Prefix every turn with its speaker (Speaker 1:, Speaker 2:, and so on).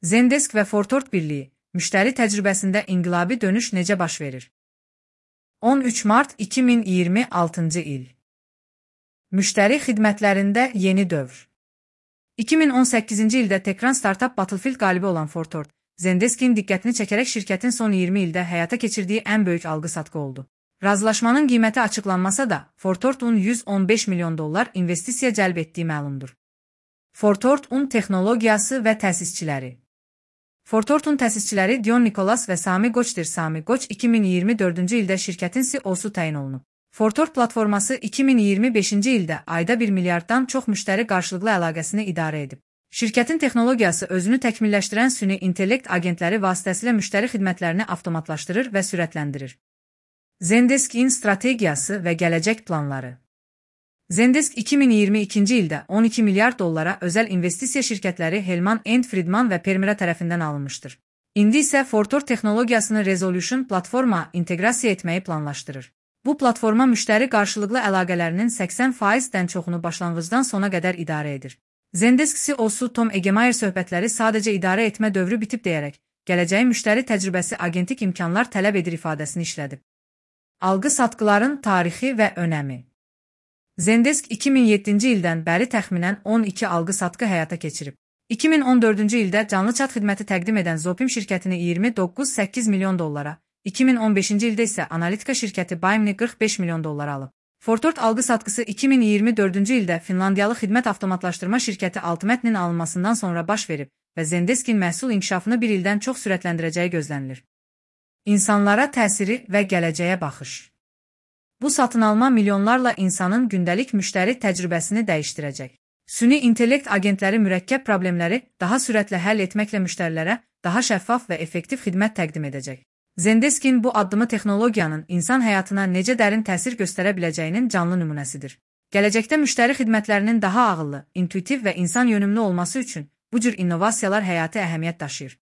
Speaker 1: Zendesk və Fortort birliyi, müştəri təcrübəsində inqilabi dönüş necə baş verir? 13 mart 2026-cı il. Müştəri xidmətlərində yeni dövr. 2018-ci ildə Tekran Startup Battlefield qalibi olan Fortort, Zendesk'in diqqətini çəkərək şirkətin son 20 ildə həyata keçirdiyi ən böyük alqı-satqı oldu. Razılaşmanın qiyməti açıqlanmasa da, Fortort'un $115 milyon investisiya cəlb etdiyi məlumdur. Fortort-un texnologiyası və təsisçiləri. Fortort-un təsisçiləri Dion Nikolas və Sami Qoçdir. Sami Qoç 2024-cü ildə şirkətin CEO-su təyin olunub. Fortort platforması 2025-ci ildə ayda 1 milyarddan çox müştəri qarşılıqlı əlaqəsini idarə edib. Şirkətin texnologiyası özünü təkmilləşdirən süni intellekt agentləri vasitəsilə müştəri xidmətlərini avtomatlaşdırır və sürətləndirir. Zendesk'in strategiyası və gələcək planları. Zendesk 2022-ci ildə $12 milyard özəl investisiya şirkətləri Hellman & Friedman və Permira tərəfindən alınmışdır. İndi isə Fortort texnologiyasını Resolution platforma inteqrasiya etməyi planlaşdırır. Bu platforma müştəri qarşılıqlı əlaqələrinin 80%-dən çoxunu başlanğıcdan sona qədər idarə edir. Zendesk CEO-su Tom Egemeyer söhbətləri sadəcə idarə etmə dövrü bitib deyərək, gələcəyin müştəri təcrübəsi agentik imkanlar tələb edir ifadəsini işlədib. Alqı-satqıların tarixi və önəmi. Zendesk 2007-ci ildən bəri təxminən 12 alqı-satqı həyata keçirib. 2014-cü ildə canlı çat xidməti təqdim edən Zopim şirkətini $29,8 milyon, 2015-ci ildə isə analitika şirkəti Bimini $45 milyon alıb. Fortort alqı-satqısı 2024-cü ildə Finlandiyalı xidmət avtomatlaşdırma şirkəti Altmetnin alınmasından sonra baş verib və Zendesk'in məhsul inkişafını bir ildən çox sürətləndirəcəyi gözlənilir. İnsanlara təsiri və gələcəyə baxış. Bu satın alma milyonlarla insanın gündəlik müştəri təcrübəsini dəyişdirəcək. Süni intellekt agentləri mürəkkəb problemləri daha sürətlə həll etməklə müştərilərə daha şəffaf və effektiv xidmət təqdim edəcək. Zendesk'in bu addımı texnologiyanın insan həyatına necə dərin təsir göstərə biləcəyinin canlı nümunəsidir. Gələcəkdə müştəri xidmətlərinin daha ağıllı, intuitiv və insan yönümlü olması üçün bu cür innovasiyalar həyati əhəmiyyət daşıyır.